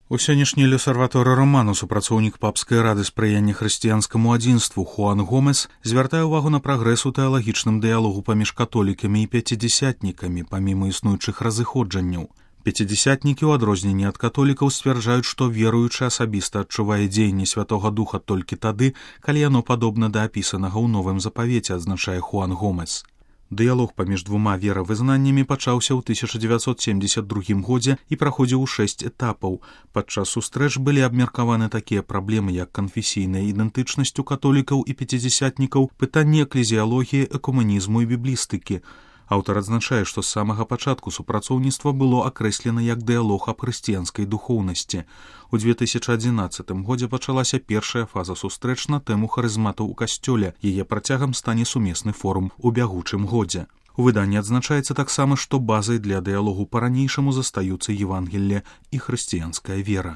У сённяшні L'Osservatore Romano супрацоўнік папскай рады спрыяння хрысціянскаму адзінству Хуан Гомес звяртае ўвагу на прагрэс у тэалагічным дыялогу паміж католікамі і пяцідзясятнікамі, паміма існуючых разыходжанняў. Пяцідзясятнікі, у адрозненні ад католікаў, сцвярджаюць, што веруючы асабіста адчувае дзеянне Святога Духа толькі тады, калі яно падобна да апісанага ў новым запавеце, адзначае Хуан Гомес. Дыялог паміж двума веравызнаннямі пачаўся ў 1972 годзе і праходзіў у 6 этапаў. Падчас сустрэч былі абмеркаваны такія праблемы, як канфесійная ідэнтычнасць у католікаў і пяцідзясятнікаў, пытанні эклезіялогіі, экумэнізму і біблістыкі. Аўтар адзначае, што з самага пачатку супрацоўніцтва было акрэслена як дыялог аб хрысціянскай духоўнасці. У 2011 годзе пачалася першая фаза сустрэч на тэму харызматаў у касцёле. Яе працягам стане сумесны форум у бягучым годзе. У выданні адзначаецца таксама, што базай для дыялогу па-ранейшаму застаюцца Евангелле і хрысціянская вера.